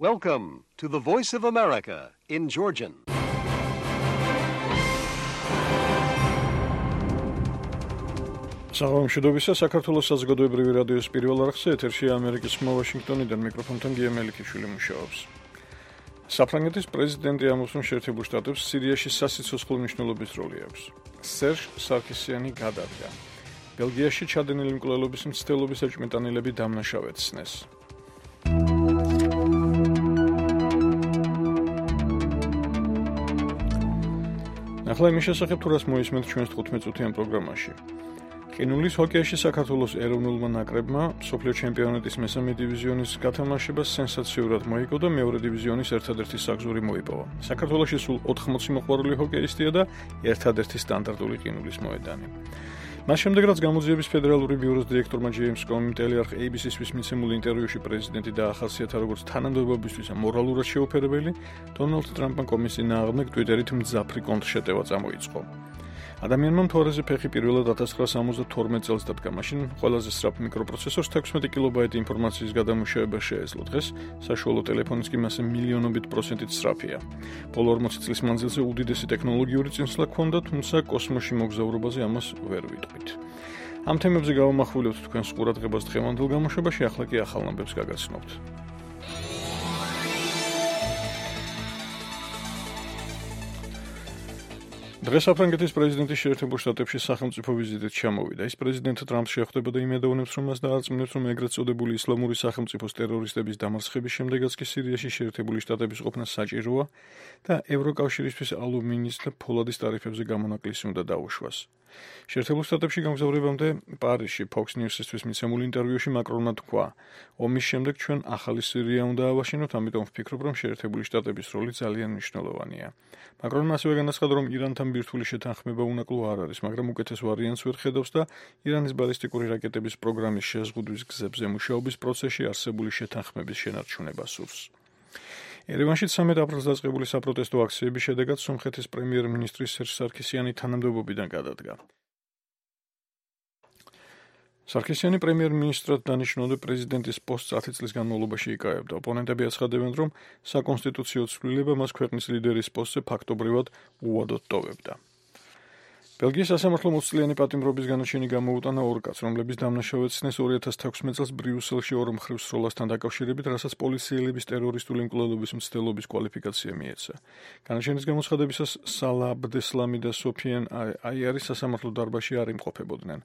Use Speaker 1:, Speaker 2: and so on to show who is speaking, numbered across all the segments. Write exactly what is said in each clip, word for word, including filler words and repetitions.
Speaker 1: Welcome to the Voice of America in Georgian.
Speaker 2: საღამოშიდობისა საქართველოს საზოგადოებრივი რადიოს პირველ არხზე ეთერშია ამერიკის ხმა ვაშინგტონიდან მიკროფონთან გია მელიქიშვილი მუშაობს. საფრანგეთის პრეზიდენტი ამბობს, რომ შეერთებულ შტატებს სირიაში სასიცოცხლო მნიშვნელობის როლი აქვს. სერჟ სარკისიანი გადადგა. ბელგიაში ჩადენილი მკვლელობის მცდელობის ეჭვმიტანილები დამნაშავედ სცნეს. ახლა იმის შესახებ თუ რას მოისმენთ ჩვენს თხუთმეტ წუთიან პროგრამაში. ყინულის ჰოკეიში საქართველოს ეროვნულმა ნაკრებმა მსოფლიო ჩემპიონატის მესამე დივიზიონის გათამაშება სენსაციურად მოიგო და მეორე დივიზიონის ერთადერთი საგზური მოიპოვა. საქართველოში სულ ოთხმოცი მოყვარული ჰოკეისტია და ერთადერთი სტანდარტული ყინულის მოედანი. მას შემდეგ, რაც გამოძიების ფედერალური ბიუროს დირექტორმა ჯეიმს კომიმ ტელეარხ ეი ბი სი-ს მიცემულ ინტერვიუში პრეზიდენტი დაახასიათა როგორც თანამდებობისთვის მორალურად შეუფერებელი, დონალდ ტრამპმა კომის წინააღმდეგ ტვიტერით მძაფრი კონტრშეტევა წამოიწყო. ადამიანმა მთვარეზე ფეხი პირველად ათას ცხრაასა სამოცდათორმეტ წელს დადგა, მაშინ ყველაზე სწრაფ მიკროპროცესორს თექვსმეტი კილობაიტი ინფორმაციის გადამუშავება შეეძლო. დღეს საშუალო ტელეფონის კი მასე მილიონობით პროცენტით სწრაფია. ბოლო ორმოცი წლის მანძილზე უდიდესი ტექნოლოგიური წინსვლა ჰქონდა, თუმცა კოსმოსში მოგზაურობაზე ამას ვერ ვიტყვით. ამ თემებზე გავამახვილებთ თქვენს ყურადღებას დღევანდელ გამოშვებაში, ახლა კი ახალ ამბებს გაგაცნობთ. დღეს საფრანგეთის პრეზიდენტი შეერთებულ შტატებში სახელმწიფო ვიზიტით ჩამოვიდა. ის პრეზიდენტ ტრამპს შეხვდება და იმედოვნებს, რომ მას დაარწმუნებს, რომ ეგრეთ წოდებული ისლამური სახელმწიფოს ტერორისტების დამარცხების შემდეგაც კი სირიაში შეერთებული შტატების ყოფნა საჭიროა და ევროკავშირისთვის ალუმინის და ფოლადის ტარიფებზე გამონაკლისი უნდა დაუშვას. შეერთებულ შტატებში გამგზავრებამდე პარიზში Fox News-ისთვის მიცემულ ინტერვიუში მაკრონმა თქვა, ომის შემდეგ ჩვენ ახალი სირია უნდა ავაშენოთ, ამიტომ ვფიქრობ, რომ შეერთებული შტატების როლი ძალიან მნიშვნელოვანია. მაკრონმა ასევე განაცხადა, რომ ირანთან ბირთვული შეთანხმება უნაკლო არ არის, მაგრამ უკეთეს ვარიანტს ვერ ხედავს და ირანის ბალისტიკური რაკეტების პროგრამის შეზღუდვის გზებზე მუშაობის პროცესში არსებული შეთანხმების შენარჩუნება სურს. ერევანში ცამეტ აპრილს დაწყებული საპროტესტო აქციების შედეგად სომხეთის პრემიერ-მინისტრი სერჟ სარკისიანი თანამდებობიდან გადადგა. სარკისიანი პრემიერ-მინისტრად დანიშნული პრეზიდენტის პოსტს ათი წლის განმავლობაში იკავებდა. ოპონენტები აცხადებენ, რომ საკონსტიტუციო ცვლილება მას ქვეყნის ლიდერის პოსტზე ფაქტობრივად უვადოდ ტოვებდა. ბელგიის სასამართლომ ოცი წლიანი პატიმრობის განაჩენი გამოუტანა ორ კაცს, რომლების დამნაშავედ სცნეს ორი ათას თექვსმეტ წელს ბრიუსელში ორ მხრივ სროლასთან დაკავშირებით, რასაც პოლიციელების ტერორისტული მკვლელობის მცდელობის კვალიფიკაცია მიეცა. განაჩენის გამოცხადებისას სალა აბდესლამი და სოფიენ აიარი სასამართლო დარბაზში არ იმყოფებოდნენ.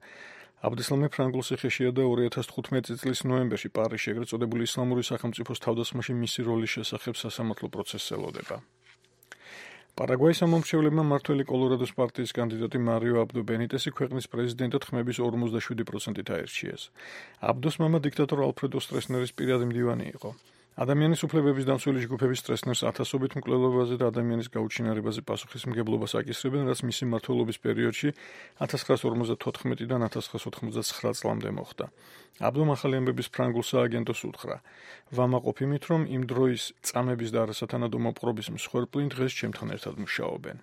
Speaker 2: აბდესლამი ფრანგულ ციხეშია და ორი ათას თხუთმეტი წლის ნოემბერში პარიზში ეგრეთ წოდებული ისლამური სახელმწიფოს თავდასხმაში მისი როლის შესახებ სასამართლო პროცესს ელოდება. პარაგვაის ამომრჩევლებმა მმართველი კოლორადოს პარტიის კანდიდატი მარიო აბდო ბენიტესი ქვეყნის პრეზიდენტად ხმების ორმოცდაშვიდი პროცენტით აირჩიეს. აბდოს მამა დიქტატორ ალფრედო სტრესნერის პირადი მდივანი იყო. ადამიანის უფლებების დამცველი ჯგუფები სტრესნერს ათასობით მკვლელობაზე და ადამიანის გაუჩინარებაზე პასუხისმგებლობას აკისრებენ, რაც მისი მმართველობის პერიოდში ათას ცხრაასა ორმოცდათოთხმეტიდან ათას ცხრაასა ოთხმოცდაცხრა წლამდე მოხდა. აბდომ ახალი ამბების ფრანგულ სააგენტოს უთხრა. ვამაყობ იმით, რომ იმ დროის წამების და არასათანადო მოპყრობის მსხვერპლი დღეს ჩემთან ერთად მუშაობენ.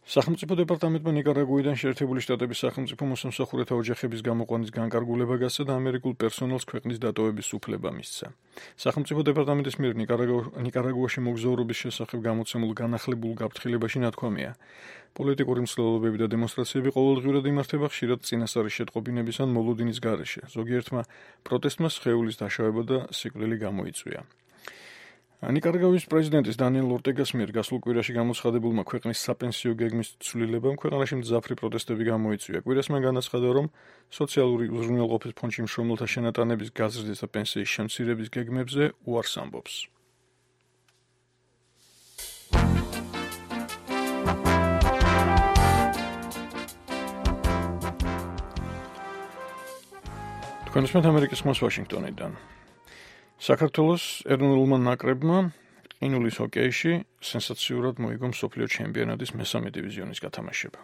Speaker 2: სახელმწიფო დეპარტამენტმა ნიკარაგუიდან შეერთებული შტატების სახელმწიფო მოსამსახურეთა ოჯახების გამოყვანის განკარგულება გასცა და ამერიკულ პერსონალს ქვეყნის დატოვების უფლება მისცა. სახელმწიფო დეპარტამენტის მიერ ნიკარაგუაში მოგზაურობის შესახებ გამოცემულ განახლებულ გაფრთხილებაში ნათქვამია. პოლიტიკური მცდელობები და დემონსტრაციები ყოველდღიურად იმართება ხშირად წინასწარი შეტყობინების ან მოლოდინის გარეშე. ზოგიერთმა პროტესტმა სხეულის დაშავება და სიკვდილი გამოიწვია. ნიკარაგუის პრეზიდენტის დანიელ ორტეგას მიერ გასულ კვირაში გამოცხადებულმა ქვეყნის საპენსიო გეგმის ცვლილებამ ქვეყანაში მძაფრი პროტესტები გამოიწვია. კვირას მან განაცხადა, რომ სოციალური უზრუნველყოფის ფონდში მშრომელთა შენატანების გაზრდის და პენსიის შემცირების გეგმებზე უარს ამბობს. თქვენ უსმენთ ამერიკის ხმას ვაშინგტონიდან. საქართველოს ეროვნულმა ნაკრებმა ყინულის ჰოკეიში სენსაციურად მოიგო მსოფლიო ჩემპიონატის მესამე დივიზიონის გათამაშება.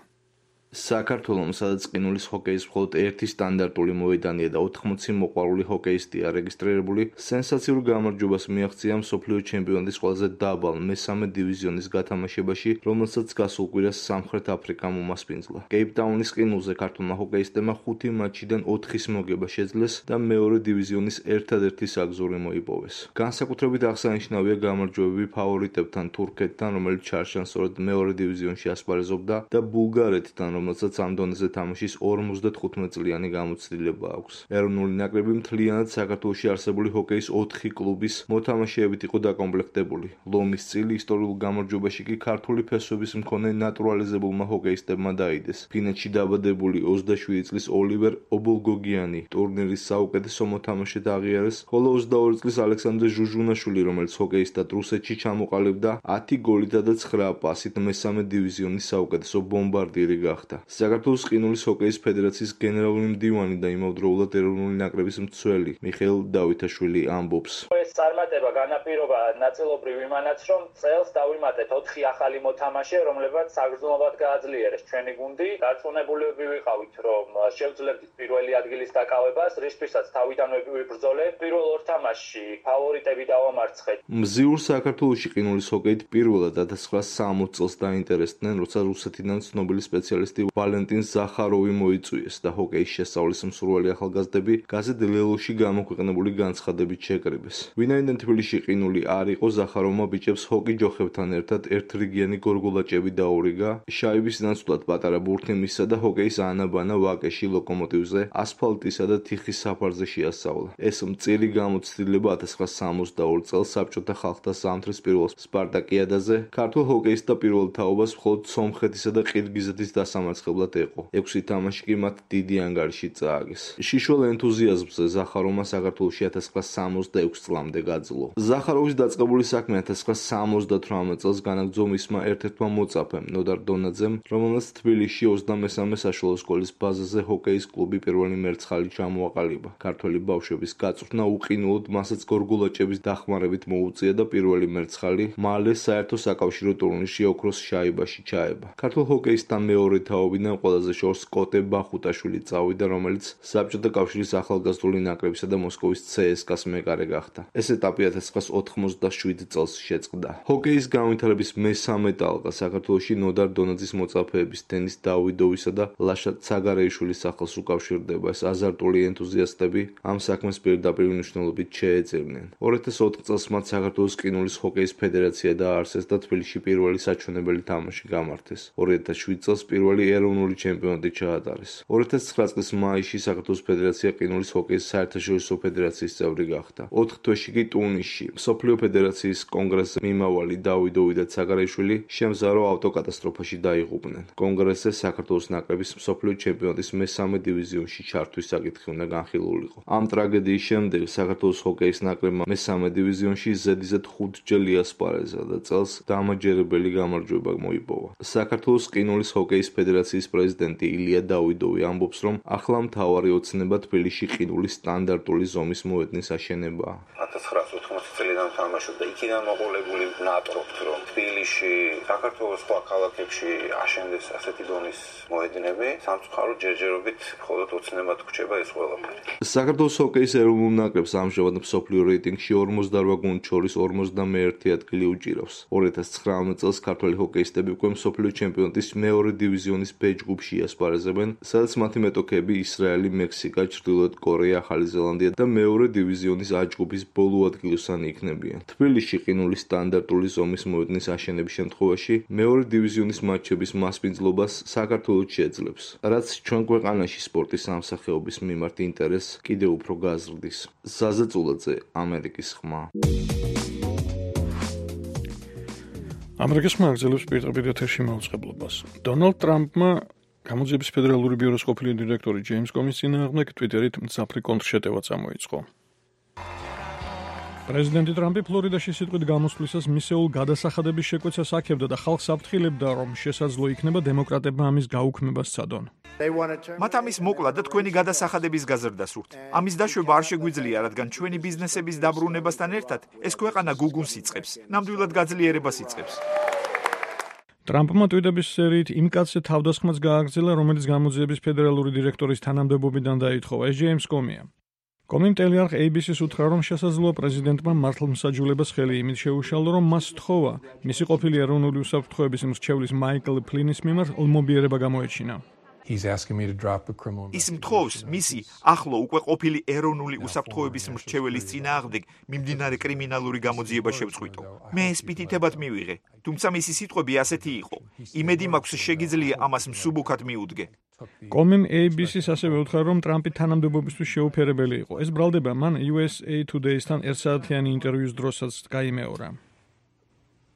Speaker 3: საქართველოს სადაც ყინულის ჰოკეის მხოლოდ ერთი სტანდარტული მოედანია და ოთხმოცი მოყვარული ჰოკეისტია რეგისტრირებული, სენსაციურ გამარჯვებას მიაღწია მსოფლიო ჩემპიონატის ყველაზე დაბალ მესამე დივიზიონის გათამაშებაში, რომელსაც გასულ კვირას სამხრეთ აფრიკამ უმასპინძლა. კეიპტაუნის ყინულზე ქართულმა ჰოკეისტებმა ხუთი მატჩიდან ოთხის მოგება შეძლეს და მეორე დივიზიონის ერთადერთი საგზური მოიპოვეს. განსაკუთრებით აღსანიშნავია გამარჯვებები ფავორიტებთან თურქეთთან, რომელიც ჩარჩანსორად მეორე დივიზიონში ასპარეზობდა და ბულგარეთთან, რომელსაც ამ დონეზე თამაშის ორმოცდათხუთმეტ წლიანი გამოცდილება აქვს. ეროვნული ნაკრები მთლიანად საქართველოში არსებული ჰოკეის ოთხი კლუბის მოთამაშეებით იყო დაკომპლექტებული. ლომის წილი ისტორიულ გამარჯვებაში კი ქართული ფესვების მქონე ნატურალიზებულმა ჰოკეისტებმა დაიდეს. ფინეთში დაბადებული ოცდაშვიდი წლის ოლივერ ობოლგოგიანი ტურნირის საუკეთესო მოთამაშედ აღიარეს, ხოლო ოცდაორი წლის ალექსანდრე ჟუჟუნაშვილი, რომელიც ჰოკეისტად რუსეთში ჩამოყალიბდა, ათი გოლითა და ცხრა პასით მესამე დივიზიონის საუკეთესო ბომბარდირი გახდა. საქართველოს ყინულის ჰოკეის ფედერაციის გენერალური მდივანი და იმავდროულად ეროვნული ნაკრების მცველი მიხეილ დავითაშვილი ამბობს.
Speaker 4: ეს წარმატება განაპირობა ნაწილობრივ იმანაც, რომ წელს დავიმატეთ ოთხი ახალი მოთამაშე, რომლებიც საგრძნობლად გააძლიერეს ჩვენი გუნდი. დარწმუნებულები ვიყავით, რომ შევძლებთ პირველი ადგილის დაკავებას, რისთვისაც თავიდანვე ვიბრძოლეთ. პირველ ორ თამაშში ფავორიტები დავამარცხეთ.
Speaker 3: მზიურ საქართველოში ყინულის ჰოკეით პირველად ათას ცხრაასი სამოცი წელს დაინტერესდნენ, როცა რუსეთიდან ცნობილი სპეციალისტი ვალენტინ ზახაროვი მოიწვიეს და ჰოკეის შესწავლის მსურველი ახალგაზრდები გაზეთ ლელოში გამოქვეყნებული განცხადებით შეკრიბეს. ვინაიდან თბილისში ყინული არ იყო, ზახაროვმა ბიჭებს ჰოკი ჯოხებთან ერთად ერთრიგიანი გორგოლაჭები დაურიგა, შაიბის ნაცვლად პატარა ბურთი მისცა და ჰოკეის ანაბანა ვაკეში, ლოკომოტივზე, ასფალტისა და თიხის საფარზე შეასწავლა. ეს მწირი გამოცდილება ათას ცხრაასი სამოცდაორი წელს საბჭოთა ხალხთა ზამთრის პირველ სპარტაკიადაზე ქართულ ჰოკეისტთა პირველ თაობას მხოლოდ სომხეთისა და ყირგიზეთის დასამარცხებლად ეყო. ექვსი თამაში კი მათ დიდი ანგარიში წააგეს. შიშველ ენთუზიაზმზე ზახაროვმა საქართველოში ათას ცხრაასი სამოცდაექვსი წლამდე გაძლო. ზახაროვის დაწყებული საქმე ათას ცხრაასი სამოცდათვრამეტ წელს განაგრძო მისმა ერთ-ერთმა მოწაფემ, ნოდარ დონაძემ, რომელმაც თბილისში ოცდამესამე საშუალო სკოლის ბაზაზე ჰოკეის კლუბი პირველი მერცხალი ჩამოაყალიბა. ქართველი ბავშვების გაწვრთნა უყინულოდ მასაც გორგოლაჭების დახმარებით მოუწია და პირველი მერცხალი მალე საერთო საკავშირო ტურნირში ოქროს შაიბაში ჩაება. ქართულ ჰოკეისთან მეორე თაობიდან ყველაზე შორს კოტე ბახუტაშვილი წავიდა, რომელიც საბჭოთა კავშირის ახალგაზრდული ნაკრებისა და მოსკოვის ცე-ეს-კას მეკარე გახდა. ეს ეტაპი ათას ცხრაასი ოთხმოცდაშვიდ წელს შეწყდა. ჰოკეის განვითარების მესამე ტალღა საქართველოში ნოდარ დონაძის მოწაფეების, დენის დავიდოვისა და ლაშა ცაგარეიშვილის სახელს უკავშირდება. ეს აზარტული ენთუზიასტები ამ საქმეს პირდაპირ მნიშვნელობით შეეწირნენ. ორ ათას ოთხ წელს მათ საქართველოს ყინულის ჰოკეის ფედერაცია დააარსეს და თბილისში პირველი საჩვენებელი თამაში გამართეს. ორი ათას შვიდ წელს პირველი ეროვნული ჩემპიონატი ჩაატარეს. ორ ათას ცხრა წლის მაისში საქართველოს ფედერაცია ყინულის ჰოკეის საერთაშორისო ფედერაციის წევრი გახდა. ოთხ თვეში კი ტუნისში მსოფლიო ფედერაციის კონგრესზე მიმავალი დავიდოვი და ცაგარეიშვილი შემზარო ავტოკატასტროფაში დაიღუპნენ. კონგრესზე საქართველოს ნაკრების მსოფლიო ჩემპიონატის მესამე დივიზიონში ჩართვის საკითხი უნდა განხილულიყო. ამ ტრაგედიის შემდეგ საქართველოს ჰოკეის ნაკრებმა მესამე დივიზიონში ზედიზედ ხუთჯერ იასპარეზა და წელს დამაჯერებელი გამარჯვება მოიპოვა. საქართველოს ყინულის ჰოკეის ფედერაციის პრეზიდენტი ილია დავიდოვი ამბობს, რომ ახლა მთავარი ოცნება თბილისში ყინულის სტანდარტული ზომის მოედნის აშენებაა.
Speaker 5: ათას ცხრაასი ოთხმოცი წლიდან თამაშობდა, იქიდან მოყოლებული ნატრობთ, რომ თბილისში, საქართველოს სხვა ქალაქებში აშენდეს ასეთი დონის მოედნები, სამწუხაროდ ჯერჯერობით მხოლოდ ოცნებად გვჭება ეს ყველაფერი.
Speaker 3: საქართველოს ჰოკეის ეროვნულ ნაკრებს ამჟამად მსოფლიო რეიტინგში ორმოცდაორ გუნდს შორის ორმოცდამეერთე ადგილი უჭირავს. ორი ათას ცხრამეტ წელს ქართველი ჰოკეისტები უკვე მსოფლიო ჩემპიონატის მეორე დივიზიონის ბ ჯგუფში იასპარეზებენ, სადაც მათი მეტოქეები ისრაელი, მექსიკა, ჩრდილოეთ კორეა, ახალი ზელანდია და მეორე დივიზიონის ა ჯგუფის ბოლო ადგილოსანი იქნებიან. თბილისში ყინულის სტანდარტული ზომის მოედნის აშენების შემთხვევაში მეორე დივიზიონის მატჩების მასპინძლობას საქართველოს შეძლებს, რაც ჩვენ ქვეყანაში სპორტის ამსახეობის მიმართ ინტერესს კიდევ უფრო გაზრდის. ზაზა წულაძე, ამერიკის ხმა.
Speaker 2: ამერიკის ხმა აგზელებს პირდაპირ ეთერში მაუწყებლობას. დონალდ ტრამპმა გამოძიების ფედერალური ბიუროს ყოფილი დირექტორი ჯეიმს კომის წინააღმდეგ ტვიტერით მძაფრი კონტრშეტევა წამოიწყო. პრეზიდენტი ტრამპი ფლორიდაში სიტყვით გამოსვლისას მისეულ გადასახადების შეკვეცას აქებდა და ხალხს აფრთხილებდა, რომ შესაძლო იქნება დემოკრატებმა ამის გაუქმებას სცადონ.
Speaker 6: მათ ამის მოკლა და თქვენი გადასახადების გაზრდა სურთ. ამის დაშვება არ შეგვიძლია, რადგან ჩვენი ბიზნესების დაბრუნებასთან ერთად ეს ქვეყანა გუგუნს იწყებს, ნამდვილად გაძლიერებას იწყებს.
Speaker 2: ტრამპმა ტვიტების სერიით იმ კაცზე თავდასხმაც გააგრძელა, რომელიც გამოძიების ფედერალური დირექტორის თანამდებობიდან დაითხოვა. ეს ჯეიმს კომია. კომიმ ტელეარხ A B C-ს უთხრა, რომ შესაძლოა პრეზიდენტმა მართლმსაჯულებას ხელი იმით შეუშალო, რომ მას სთხოვა მისი ყოფილი ეროვნული უსაფრთხოების მრჩევლის მაიკლ ფლინის მიმართ ელმობიერება გამოეჩინა.
Speaker 6: ის მთხოვს მისი ახლო უკვე ყოფილი ეროვნული უსაფრთხოების მრჩეველის წინააღმდეგ მიმდინარე კრიმინალური გამოძიება შევწყვიტო. მე ეს პიტითებად მივიღე, თუმცა მისი სიტყვები ასეთი იყო. იმედი მაქვს შეგიძლია ამას მსუბუქად მიუდგე.
Speaker 2: კომიმ A B C-ს ასევე უთხრა, რომ ტრამპი თანამდებობისთვის შეუფერებელი იყო. ეს ბრალდება მან U S A Today-სთან ერთსაათიანი ინტერვიუს დროსაც გაიმეორა.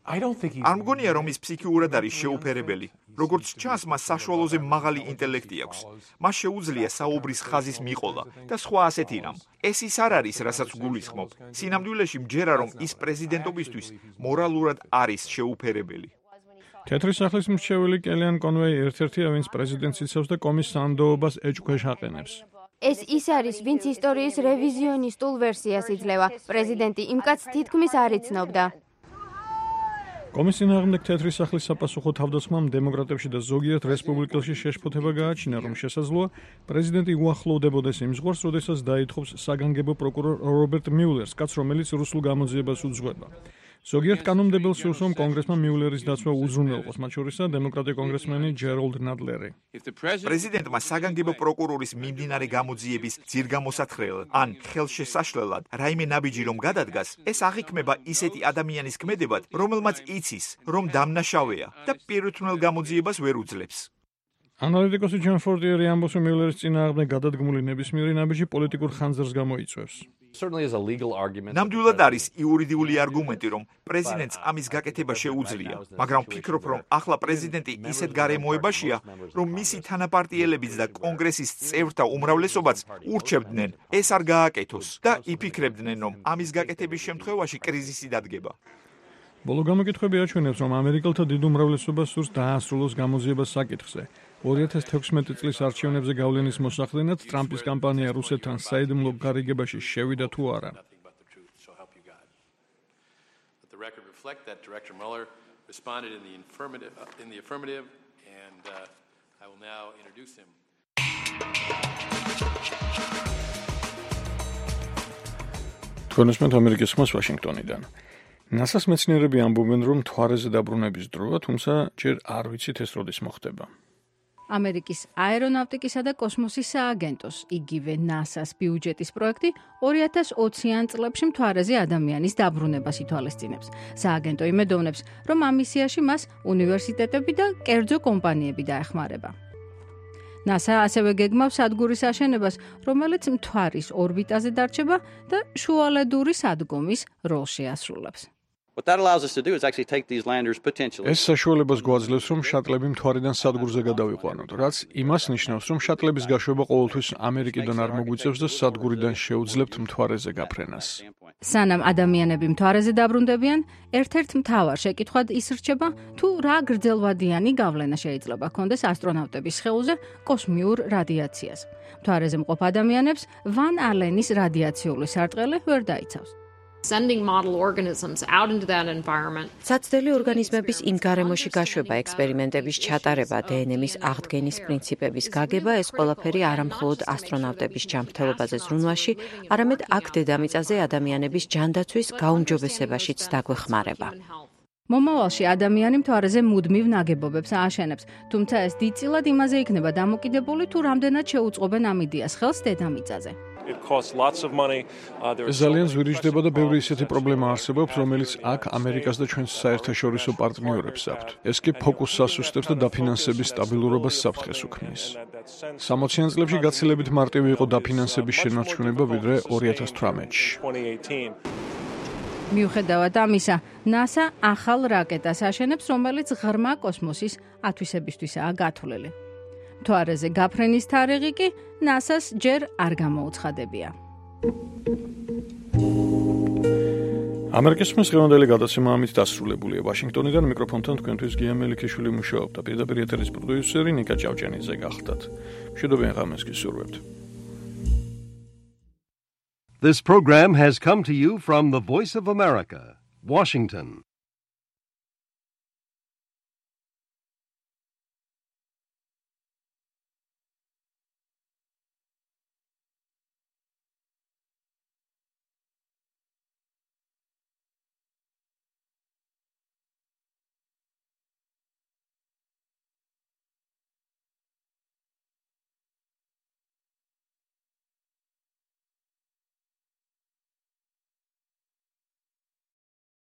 Speaker 6: არ მგონია, რომ ის ფსიქიურად არის შეუფერებელი. როგორც ჩანს, მას საშუალოზე მაღალი ინტელექტი აქვს. მას შეუძლია საუბრის ხაზის მიყოლა და სხვა ასეთი რამ. ეს ის არ არის, რასაც გულისხმობ. სინამდვილეში მჯერა, რომ ის პრეზიდენტობისთვის მორალურად არის შეუფერებელი.
Speaker 2: თეთრი სახლის მრჩეველი კელიან კონვეი ერთ-ერთია, ვინც პრეზიდენტს იცავს და კომის სანდოობას ეჭქვეშ აყენებს.
Speaker 7: ეს ის არის, ვინც ისტორიის რევიზიონისტულ ვერსიას იძლევა. პრეზიდენტი იმ კაცს თითქმის არ იცნობდა.
Speaker 2: კომის წინააღმდეგ თეთრი სახლის საპასუხო თავდასხმამ დემოკრატებში და ზოგიერთ რესპუბლიკელში შეშფოთება გააჩინა, რომ შესაძლოა პრეზიდენტი უახლოვდებოდეს იმ ზღვარს, როდესაც დაითხოვს საგანგებო პროკურორ რობერტ მიულერს, კაცს, რომელიც რუსულ გამოძიებას უძღვება. ზოგიერთ კანონმდებელს სურს, რომ კონგრესმა მიულერის დაცვა უზრუნველყოს, მათ შორისაა დემოკრატი კონგრესმენი ჯერალდ ნადლერი.
Speaker 6: პრეზიდენტმა საგანგებო პროკურორის მიმდინარე გამოძიების ძირგამოსათხრელ ან ხელშესაშლელად რაიმე ნაბიჯი რომ გადადგას, ეს აღიქმება ისეთი ადამიანის ქმედებად, რომელმაც იცის, რომ დამნაშავეა და პირუთვნელ გამოძიებას ვერ უძლებს.
Speaker 2: ანალიტიკოსი ჯონ ფორტიერი ამბობს, რომ მიულერის წინააღმდეგ გადადგმული ნებისმიერი ნაბიჯი პოლიტიკურ ხანძარს გამოიწვევს.
Speaker 6: ნამდვილად არის იურიდიული არგუმენტი, რომ პრეზიდენტს ამის გაკეთება შეუძლია, მაგრამ ვფიქრობ, რომ ახლა პრეზიდენტი ისეთ გარემოებაშია, რომ მისი თანაპარტიელებიც და კონგრესის წევრთა უმრავლესობაც ურჩევდნენ ეს არ გააკეთოს და იფიქრებდნენ, რომ ამის გაკეთების შემთხვევაში კრიზისი დადგება.
Speaker 2: ბოლო გამოკითხვები აჩვენებს, რომ ამერიკელთა დიდ უმრავლესობას სურს დაასრულოს გამოძიება საკითხზე. ორი ათას თექვსმეტი წლის არჩევნებზე გავლენის მოსახდენად ტრამპის კამპანია რუსეთთან საიდუმლო გარიგებაში შევიდა თუ არა. თქვენ უსმენთ ამერიკის ხმას ვაშინგტონიდან. ნასას მეცნიერები ამბობენ, რომ მთვარეზე დაბრუნების დროა, თუმცა ჯერ არ ვიცით ეს როდის მოხდება.
Speaker 8: ამერიკის აერონავტიკისა და კოსმოსის სააგენტოს, იგივე ნასას ბიუჯეტის პროექტი ორი ათას ოციან წლებში მთვარეზე ადამიანის დაბრუნებას ითვალისწინებს. სააგენტო იმედოვნებს, რომ ამ მისიაში მას უნივერსიტეტები და კერძო კომპანიები დაეხმარება. ნასა ასევე გეგმავს სადგურის აშენებას, რომელიც მთვარის ორბიტაზე დარჩება და შუალედური სადგომის როლს შეასრულებს.
Speaker 2: ეს საშუალებას გვაძლევს, რომ შატლები მთვარიდან სადგურზე გადავიყვანოთ, რაც იმას ნიშნავს, რომ შატლების გაშვება ყოველთვის ამერიკიდან არ მოგვიწევს და სადგურიდან შეუძლებთ მთვარეზე გაფრენას.
Speaker 8: სანამ ადამიანები მთვარეზე დაბრუნდებიან, ერთ-ერთ მთავარ შეკითხვად ის რჩება, თუ რა გრძელვადიანი გავლენა შეიძლება ჰქონდეს ასტრონავტების სხეულზე კოსმიურ რადიაციას. მთვარეზე მყოფ ადამიანებს ვან ალენის რადიაციული სარტყელი ვერ დაიცავს.
Speaker 9: Sending model organisms out into that environment.
Speaker 10: საცდელი ორგანიზმების იმ გარემოში გაშვება, ექსპერიმენტების ჩატარება, D N A-ის აღდგენის პრინციპების გაგება, ეს ყველაფერი არამხოლოდ ასტრონავტების ჯანმრთელობაზე ზრუნვაში, არამედ აქ დედამიწაზე ადამიანების ჯანდაცვის გაუმჯობესებაშიც დაგვეხმარება.
Speaker 8: მომავალში ადამიანი მთვარეზე მუდმივ ნაგებობებს ააშენებს, თუმცა ეს დიდწილად იმაზე იქნება დამოკიდებული, თუ რამდენად შეუწყობენ ამ იდეას ხელს დედამიწაზე.
Speaker 2: ეს ძალიან ზვირიჯდება და ბევრი ისეთი პრობლემა არსებობს, რომელიც აქ ამერიკას და ჩვენს საერთაშორისო პარტნიორებს აქვთ. ეს კი ფოკუსს ასუსტებს და დაფინანსების სტაბილურობას საფრთხეს უქმნის. სამოციან წლებში გაცილებით მარტივი იყო დაფინანსების შენარჩუნება ვიდრე ორი ათას თვრამეტში.
Speaker 8: მიუხედავად ამისა, ნასა ახალ რაკეტას აშენებს, რომელიც ღრმა კოსმოსის ათვისებისთვისაა გათვლილი. მთვარეზე გაფრენის თარიღი კი ნასას ჯერ არ გამოუცხადებია.
Speaker 2: ამერიკის ხმის დღევანდელი გადაცემა ამით დასრულებულია. ვაშინგტონიდან მიკროფონთან თქვენთვის გია მელიქიშვილი მუშაობდა. პირდაპირ ეთერის პროდიუსერი ნიკა ჭავჭიანიძე გახდათ. მშვიდობიან ღამეს გისურვებთ.
Speaker 1: This program has come to you from the Voice of America, Washington.